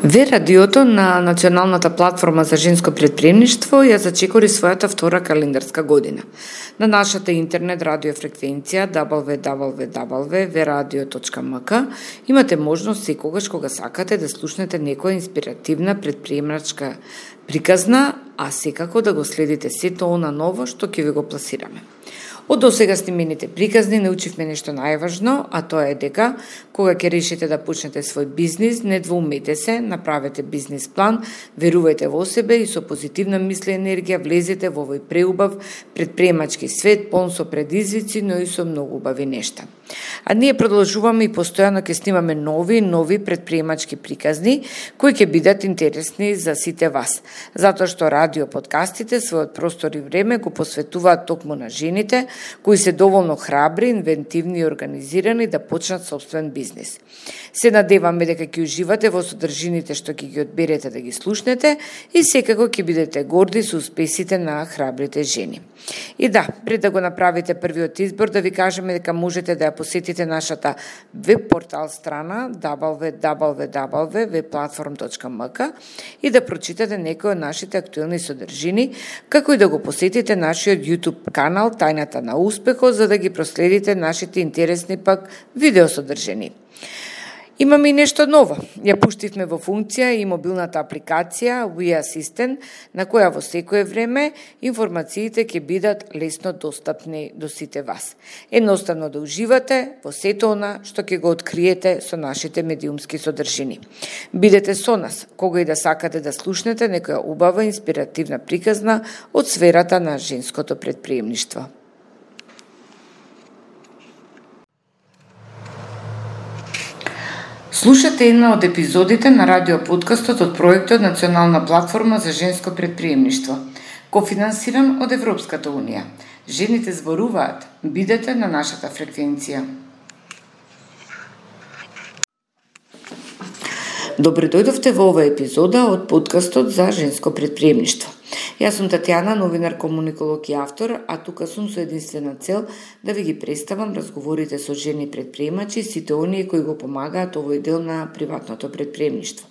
Ве радиото на Националната платформа за женско претприемништво ја зачекори својата втора календарска година. На нашата интернет радиофреквенција www.veradio.mk имате можност секогаш кога сакате да слушнете некоја инспиративна претприемачка приказна, а секако да го следите сето она ново што ќе ви го пласираме. Од досега снимените приказни научивме нешто најважно, а тоа е дека кога ќе решите да почнете свој бизнис, не двоумете се, направете бизнис план, верувајте во себе и со позитивна мисла и енергија влезете во овој преубав претприемачки свет, полн со предизвици, но и со многу убави нешта. А ние продолжуваме и постојано ќе снимаме нови претприемачки приказни кои ќе бидат интересни за сите вас, затоа што радио подкастите својот простор и време го посветуваат токму на жените кои се доволно храбри, инвентивни и организирани да почнат собствен бизнис. Се надеваме дека ќе уживате во содржините што ќе ги одберете да ги слушнете и секако ќе бидете горди со успесите на храбрите жени. И да, пред да го направите првиот избор, да ви кажеме дека можете да ја посетите нашата веб портал страна www.webplatform.mk и да прочитате некои од нашите актуелни содржини, како и да го посетите нашиот YouTube канал Тајната на успехот, за да ги проследите нашите интересни пак видеосодржини. Имаме и нешто ново. Ја пуштивме во функција и мобилната апликација We Assistant, на која во секое време информациите ќе бидат лесно достапни до сите вас. Едноставно да уживате во сето она што ќе го откриете со нашите медиумски содржини. Бидете со нас, кога и да сакате да слушнете некоја убава инспиративна приказна од сферата на женското претприемништво. Слушате една од епизодите на радиоподкастот од проектот Национална платформа за женско претприемништво, кофинансиран од Европската унија. Жените зборуваат. Бидете на нашата фреквенција. Добре дојдовте во оваа епизода од подкастот за женско претприемништво. Јас сум Татјана, новинар, комуниколог и автор, а тука сум со единствена цел да ви ги представам разговорите со жени претприемачи и сите оние кои го помагаат овој дел на приватното претприемништво.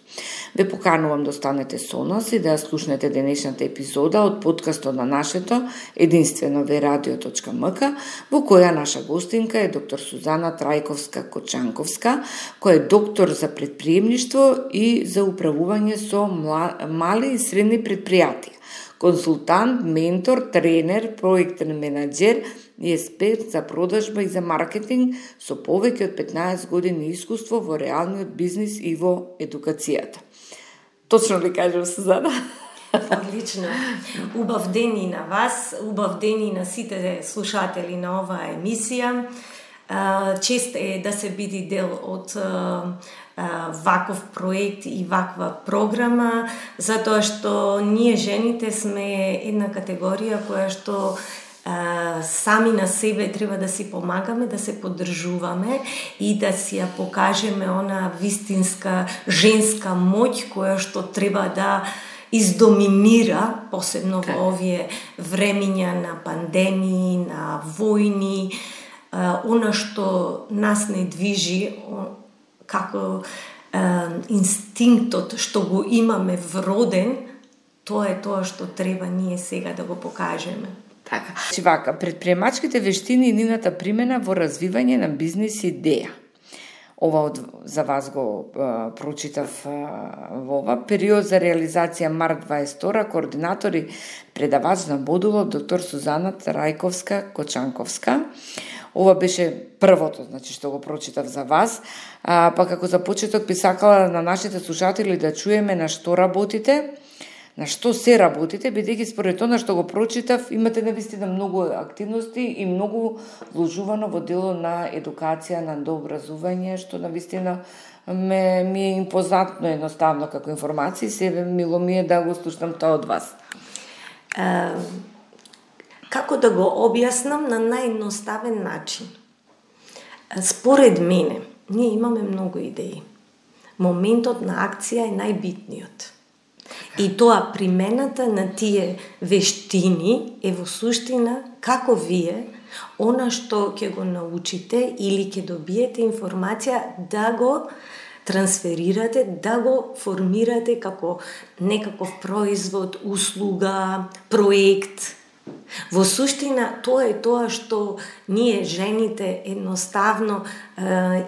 Ве поканувам да останете со нас и да ја слушнете денешната епизода од подкастот на нашето единствено veradio.mk, во која наша гостинка е доктор Сузана Трајковска-Кочанковска, која е доктор за претприемништво и за управување со мали и средни предпријатија, консултант, ментор, тренер, проектен менаџер и експерт за продажба и за маркетинг со повеќе од 15 години искуство во реалниот бизнис и во едукацијата. Точно ли кажам, Сузана? Одлично. Убав ден и на вас, убав ден и на сите слушатели на оваа емисија. Чест е да се биде дел од ваков проект и ваква програма, затоа што ние жените сме една категорија која што сами на себе треба да си помагаме, да се поддржуваме и да си ја покажеме она вистинска женска моќ која што треба да издоминира, посебно во овие времиња на пандемии, на војни, она што нас не движи како инстинктот што го имаме вроден, тоа е тоа што треба ние сега да го покажеме. Така. Вака, претприемачките вештини и нивната примена во развивање на бизнис идеја. Ова за вас го прочитав во ова период за реализација март 22, координатор и предавач на модулот доктор Сузана Трајковска-Кочанковска. Ова беше првото, значи, што го прочитав за вас, па како за почеток би сакала на нашите слушатели да чуеме на што работите, на што се работите, бидејќи според она што го прочитав, имате навистина многу активности и многу вложувано во дело на едукација, на дообразување, што навистина ми е импозантно едноставно како информации, себе мило ми е да го слушнам тоа од вас. Како да го објаснам на наједноставен начин? Според мене, ние имаме многу идеи. Моментот на акција е најбитниот. И тоа примената на тие вештини е во суштина како вие она што ќе го научите или ќе добиете информација да го трансферирате, да го формирате како некаков производ, услуга, проект. Во суштина, тоа е тоа што ние жените едноставно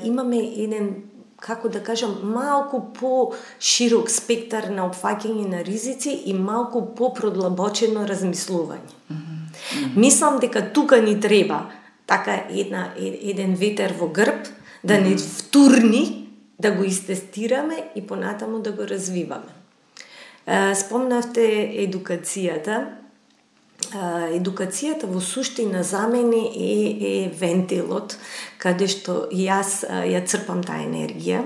имаме еден, како да кажам, малку по-широк спектар на опфаќање на ризици и малку по-продлабочено размислување. Мислам дека тука ни треба така еден ветер во грб, да не втурни, да го истестираме и понатаму да го развиваме. Спомнавте едукацијата. Едукацијата во суштина за мене е вентилот, каде што јас ја црпам таа енергија.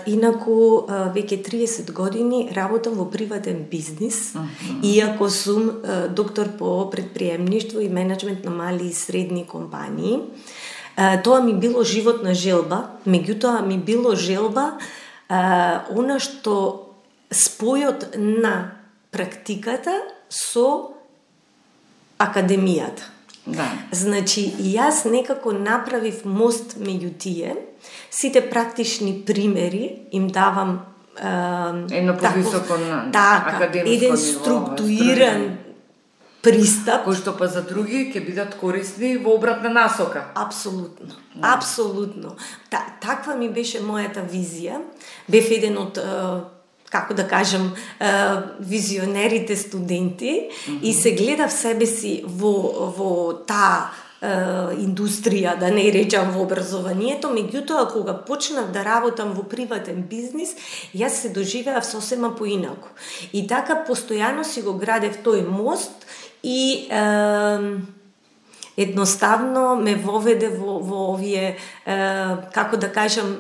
Инаку, веќе 30 години работам во приватен бизнис, иако сум доктор по предприемништво и менеджмент на мали и средни компании. Тоа ми било животна желба, меѓутоа ми било желба она што спојот на практиката со академијата. Да. Значи, јас некако направив мост меѓу тие, сите практични примери им давам едно повисоко академско еден ниво, структуриран пристап, кој што па за други ќе бидат корисни во обратна насока. Апсолутно. Апсолутно. Таква ми беше мојата визија. Бев еден од како да кажам, визионерите студенти и се гледав себе си во таа индустрија, да не речам во образованието, меѓутоа кога почнав да работам во приватен бизнис, јас се доживеав сосема поинаку. И така постојано си го градев тој мост и едноставно ме воведе во овие, како да кажам,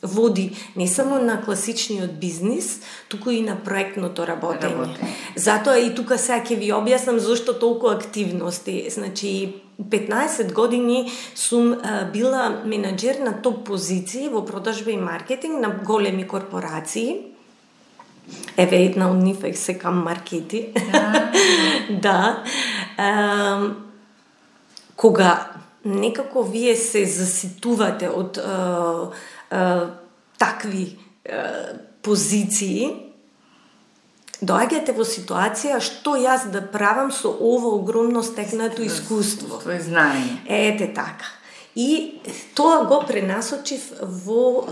води не само на класичниот бизнис, туку и на проектното работење. Затоа и тука сега ќе ви објаснам зошто толку активности. Значи, 15 години сум била менаџер на топ позиции во продажба и маркетинг на големи корпорации. Еве една од нив е Секам Маркети. Да. Кога некако вие се заситувате од такви позиции, доаѓате во ситуација што јас да правам со ово огромно стекнато искуство. Твој знаење. Ете така. И тоа го пренасочив во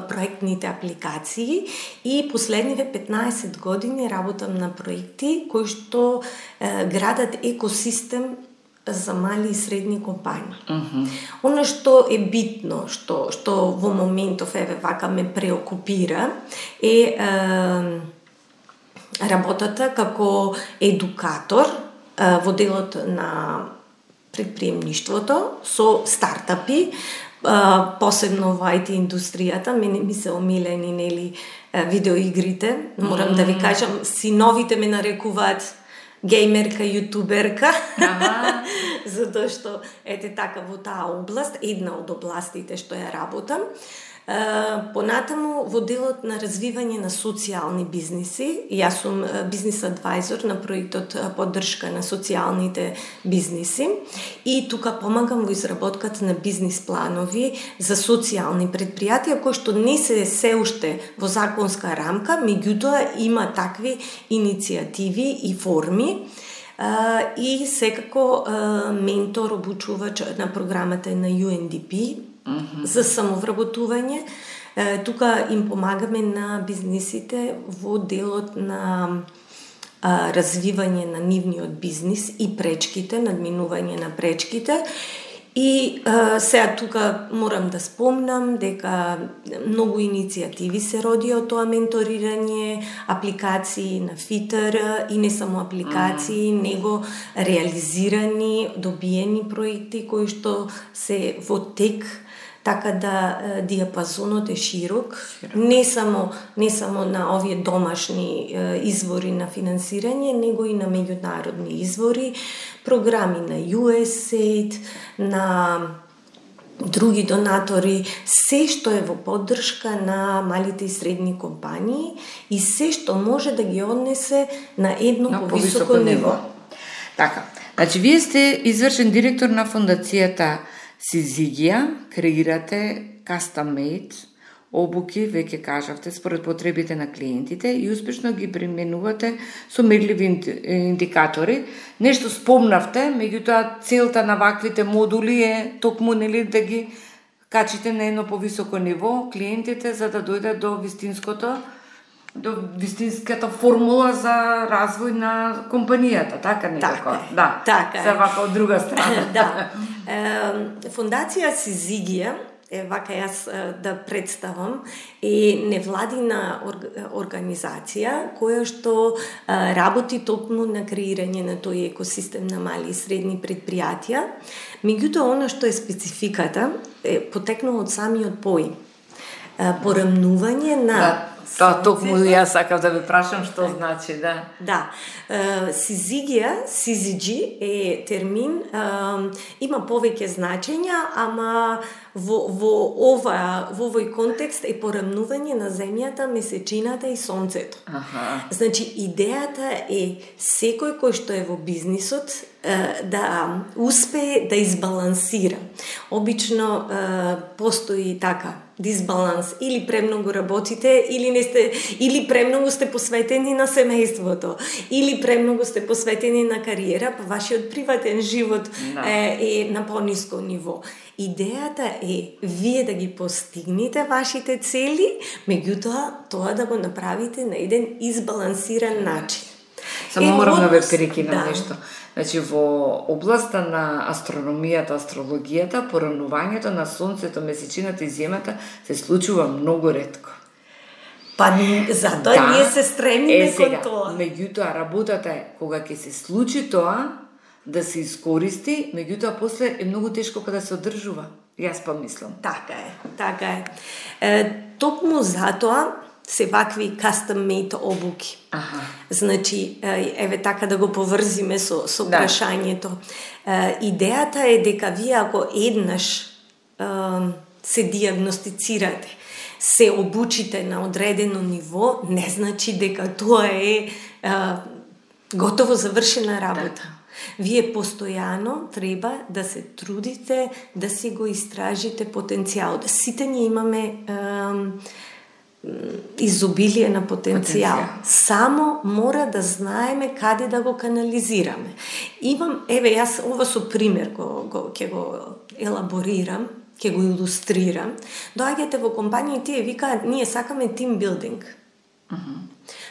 проектните апликации и последниве 15 години работам на проекти кои што градат екосистем за мали и средни компании. Оно што е битно, што во моментов еве вака ме преокупира е работата како едукатор во делот на предприемништвото со стартапи, посебно во IT индустријата. Мене ми се омилени нели видеоигрите. Морам да ви кажам, синовите ме нарекуваат геймерка, јутуберка, затоа што ете така во таа област, една од областите што ја работам. Понатаму во делот на развивање на социјални бизниси, јас сум бизнис адвајзор на проектот поддршка на социјалните бизниси и тука помагам во изработката на бизнис планови за социјални предпријатија кои што не се уште во законска рамка, меѓутоа има такви иницијативи и форми. И секако ментор, обучувач на програмата на UNDP за самовработување. Тука им помагаме на бизнисите во делот на развивање на нивниот бизнис и пречките, надминување на пречките. И сега тука морам да спомнам дека многу иницијативи се роди од тоа менторирање, апликации на Фитер и не само апликации, него реализирани, добиени проекти кои што се во тек, така да диапазонот е широк, не само на овие домашни извори на финансирање, него и на меѓународни извори, програми на USAID, на други донатори, се што е во поддршка на малите и средни компании и се што може да ги однесе на едно повисоко ниво. Така, значи вие сте извршен директор на фондацијата Сизигија, креирате custom made обуки, веќе кажавте, според потребите на клиентите и успешно ги применувате со мерливи индикатори. Нешто спомнавте, меѓутоа целта на ваквите модули е токму нели да ги качите на едно повисоко ниво клиентите за да дојдат до вистинската формула за развој на компанијата, така некако. Да, така се вака од друга страна. Да. Фондација Сизигија, вака јас да представам, е невладина организација која што работи токму на креирање на тој екосистем на мали и средни предпријатија. Меѓутоа, она што е спецификата е потекнало од самиот поим. Порамнување на Тоа токму јас сакав да ве прашам што значи, да. Да. Сизигија, CZG е термин, има повеќе значења, ама во овој контекст е порамнување на земјата, месечината и сонцето. Значи, идејата е секој кој што е во бизнисот да успее да избалансира. Обично постои така дисбаланс, или премногу работите, или премногу сте посветени на семејството, или премногу сте посветени на кариера, па вашиот приватен живот е на пониско ниво. Идејата е вие да ги постигнете вашите цели, меѓутоа тоа да го направите на еден избалансиран начин. Само морам да ве прекинам нешто. Значи, во областа на астрономијата, астрологијата, порамнувањето на сонцето, месечината и земјата се случува многу ретко. Па затоа ние се стремиме кон тоа. Меѓутоа, работата е кога ќе се случи тоа, да се искористи, меѓутоа после е многу тешко кога се одржува. Јас па мислам. Така е. Токму затоа се вакви custom made обуки. Значи, еве така да го поврзиме со прашањето. Идејата е дека вие ако еднаш се диагностицирате, се обучите на одредено ниво, не значи дека тоа е готово завршена работа. Вие постојано треба да се трудите да си го истражите потенцијалот. Сите ние имаме изобилие на потенцијал. Само мора да знаеме каде да го канализираме. Еве јас ова со пример ќе го елаборирам, ќе го илустрирам. Доаѓате во компанија и тие викаат, ние сакаме тимбилдинг.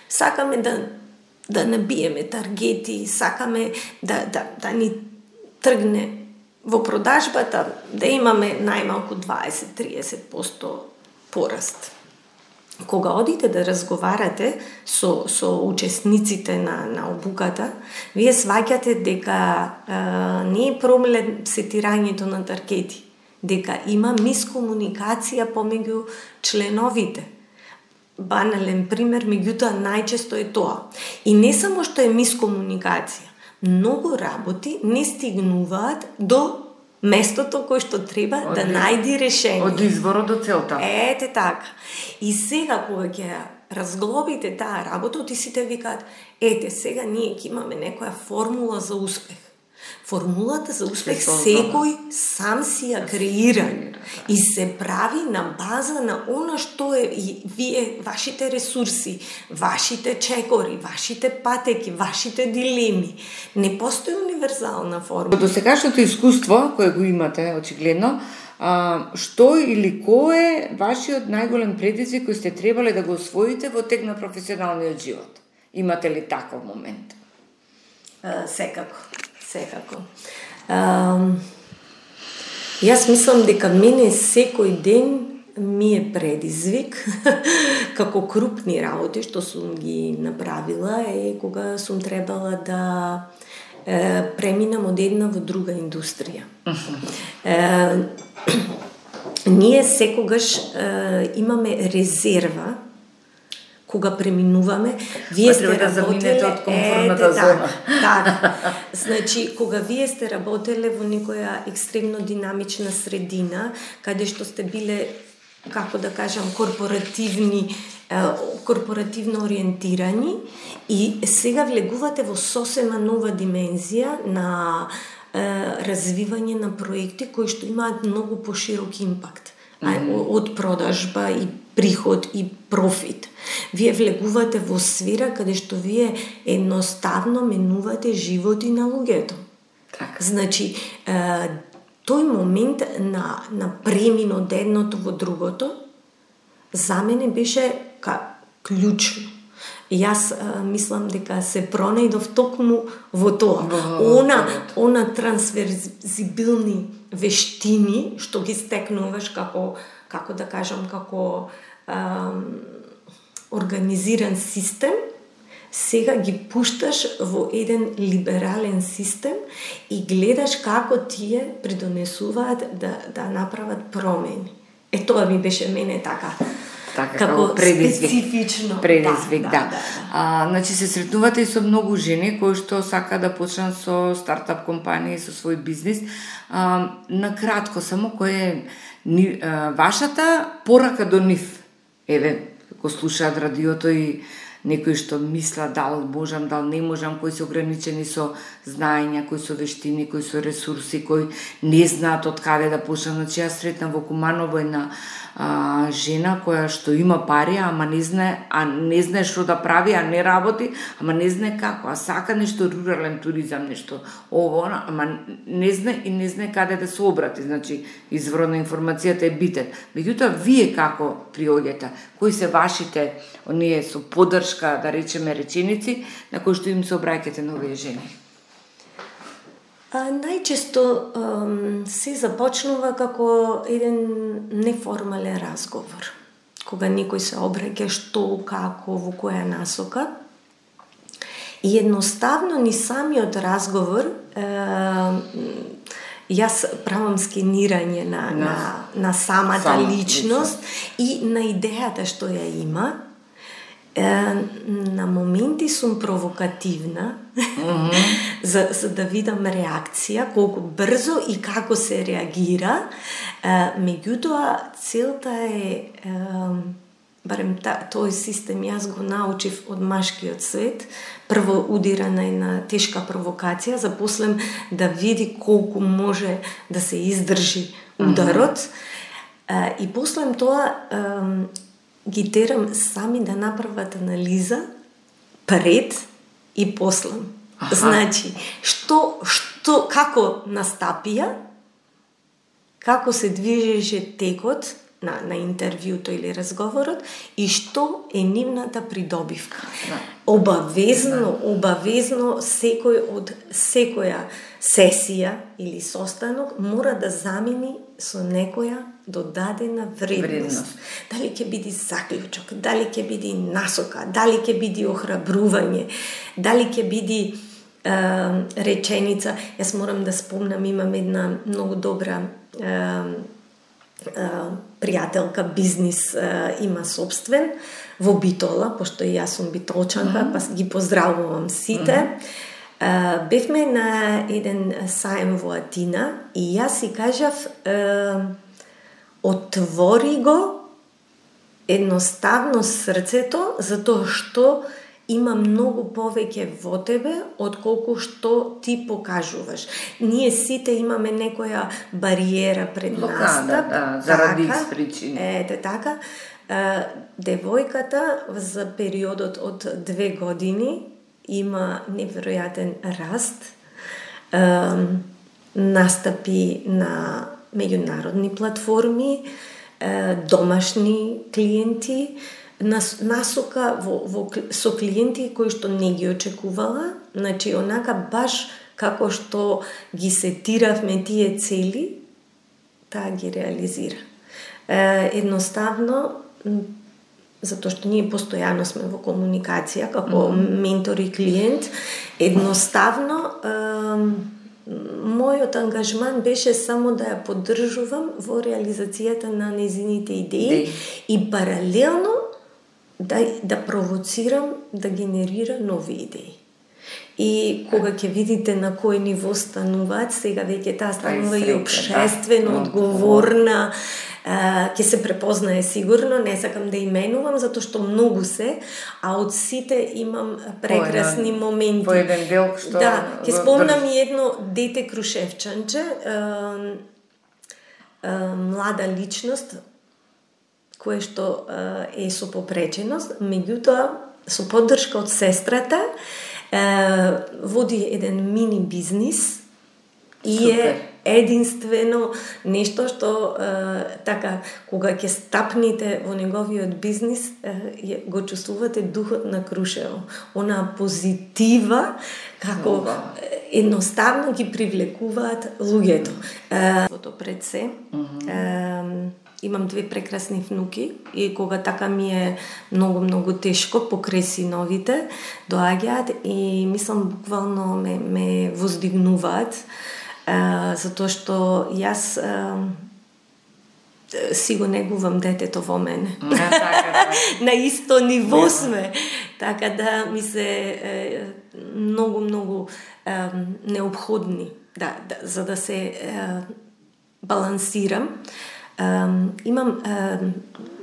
Сакаме да набиеме таргети, сакаме да ни тргне во продажбата, да имаме најмалку 20-30% пораст. Кога одите да разговарате со учесниците на обуката, вие сваќате дека не е проблем сетирањето на таргети, дека има мискомуникација помеѓу членовите. Банален пример, меѓутоа најчесто е тоа. И не само што е мискомуникација, многу работи не стигнуваат до местото кој што треба да најди решение. Од изворот до целта. Ете така. И сега кога ќе разглобите таа работа, ти сите викаат, ете сега ние ќе имаме некоја формула за успех. Формулата за успех секој сам си ја креира и се прави на база на она што е и вие, вашите ресурси, вашите чекори, вашите патеки, вашите дилеми. Не постои универзална формула. До сегашното искуство кое го имате очигледно, што или кој е вашиот најголем предизвик кој сте требале да го освоите во тек на професионалниот живот? Имате ли таков момент? Секако. Јас мислам дека мене секој ден ми е предизвик како крупни работи што сум ги направила е кога сум требала да преминам од една во друга индустрија. Ние секогаш имаме резерва кога преминуваме, вие сте работеле од комфортната зона. Така. Значи, кога вие сте работеле во некоја екстремно динамична средина, каде што сте биле, како да кажам, корпоративно ориентирани и сега влегувате во сосема нова димензија на развивање на проекти кои што имаат многу поширок импакт. од продажба и приход и профит. Вие влегувате во сфера каде што вие едноставно менувате животи на луѓето. Така. Значи, тој момент на премин од едното во другото, за мене беше клучно. Јас мислам дека се пронајдов токму во тоа. Она трансверзибилни вештини што ги стекнуваш како да кажам, како организиран систем, сега ги пушташ во еден либерален систем и гледаш како тие придонесуваат да направат промени. Тоа ми беше мене така како специфично предизвик, да. Значи се сретнувате и со многу жени кои што сака да почнат со стартап компании, со свој бизнис. На кратко само, кој е вашата порака до нив? Еве, го слушаат радиото и некои што мислат дал можам, дал не можам, кои се ограничени со знаења, кои со вештини, кои со ресурси, кои не знаат од каде да почнат. Значи јас сретнав во Куманово една жена која што има пари, ама не знае што да прави, а не работи, ама не знае како, а сака нешто рурален туризам, нешто ово, ама не знае каде да се обрати. Значи изворот на информацијата е битен. Меѓутоа, вие како приоѓате? Кои се вашите, оние со поддршка, да речеме, реченици, на кои што им се обраќате на овие жени? Најчесто се започнува како еден неформален разговор. Кога некој се обраќа што, како, во која насока. И едноставно ни самиот разговор, јас правам скенирање на самата личност и на идејата што ја има. На моменти сум провокативна, за да видам реакција, колку брзо и како се реагира. Меѓутоа, целта е, барем тој систем јас го научив од машкиот свет, прво удира на една тешка провокација, за после да види колку може да се издржи ударот. И после тоа ги терам сами да направат анализа пред и после. Значи, како настапија, како се движеше текот на интервјуто или разговорот и што е нивната придобивка. Обавезно секој од секоја сесија или состанок мора да замени со некоја додадена вредност. Дали ќе биде заклучок, дали ќе биде насока, дали ќе биде охрабрување, дали ќе биде реченица. Јас морам да спомнам, имам една многу добра пријателка, бизнис има собствен во Битола, пошто и јас сум битолчанка, па ги поздравувам сите. Бевме на еден саем во Атина и јас си кажав отвори го едноставно срцето, затоа што има многу повеќе во тебе отколку што ти покажуваш. Ние сите имаме некоја бариера пред настап. Заради причини. Ете така. Девојката за периодот од 2 години има неверојатен раст, настапи на меѓународни платформи, домашни клиенти, насока со клиенти кои што не ги очекувала, значи онака баш како што ги сетиравме тие цели, таа ги реализира. Едноставно, затоа што ние постојано сме во комуникација како ментор и клиент, едноставно мојот ангажман беше само да ја поддржувам во реализацијата на нејзините идеи и паралелно да провоцирам да генерира нови идеи. И кога ќе видите на кој ниво стануваат, сега веќе таа станува и општествено одговорна, ќе се препознае сигурно, не сакам да именувам, затоа што многу се, а од сите имам прекрасни моменти. По еден дел што... Да, ќе спомнам и едно дете Крушевчанче, млада личност, кое што е со попреченост, меѓутоа со поддршка од сестрата води еден мини бизнис и е единствено нешто што така кога ќе стапните во неговиот бизнис го чувствувате духот на Крушево, она позитива како едноставно ги привлекуваат луѓето. Пред се имам 2 прекрасни внуки и кога така ми е многу тешко покрај синовите доаѓаат и мислам буквално ме воздигнуваат затоа што јас си го негувам детето во мене. На исто ниво сме. Така да ми се многу необходни за да се балансирам. Имам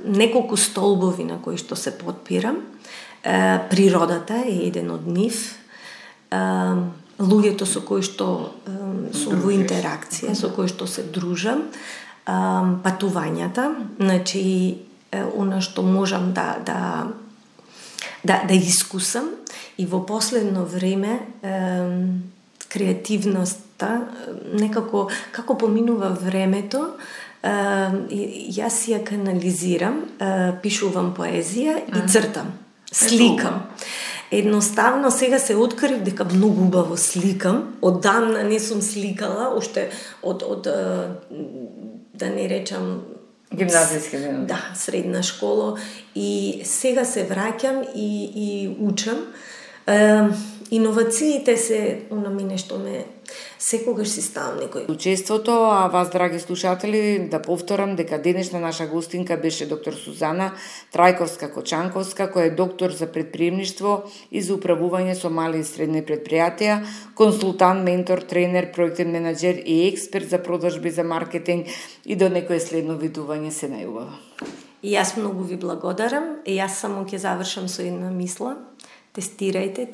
неколку столбови на кои што се подпирам. Природата е еден од нив. Луѓето со кои што сум во интеракција, со кои што се дружам, патувањата, значи она што можам да искусам и во последно време креативноста некако како поминува времето, јас ја канализирам, пишувам поезија и цртам, сликам. Едноставно сега се открив дека многу убаво сликам. Одамна не сум сликала, уште од да не речам гимназиски ден. Да, средна школа и сега се враќам и учам. Иновациите се она мене што ме секогаш си ставам некој. Учеството, а вас, драги слушатели, да повторам дека денешна наша гостинка беше доктор Сузана Трајковска-Кочанковска, која е доктор за предприемништво и за управување со мали и средни предпријатија, консултант, ментор, тренер, проектен менаџер и експерт за продажби, за маркетинг и до некое следно видување се најубаво. И јас многу ви благодарам и јас само ќе завршам со една мисла. Тестирајте,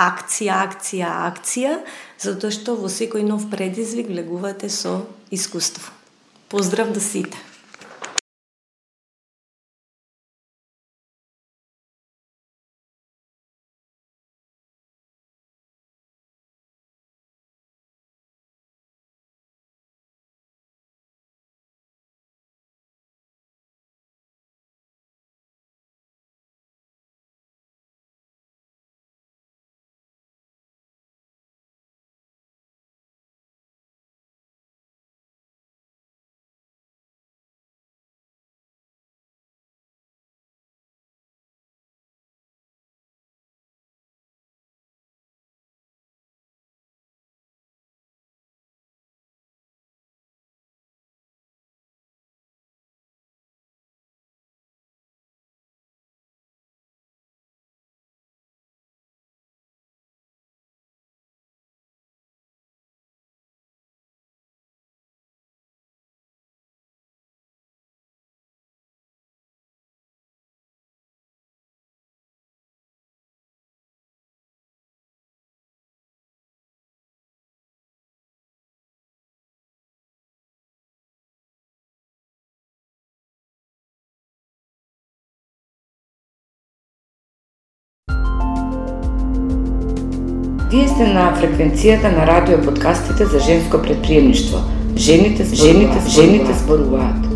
акција, затоа што во секој нов предизвик влегувате со искуство. Поздрав до сите! Вие сте на фреквенцијата на радио подкастите за женско предприемништво. Жените зборуваат.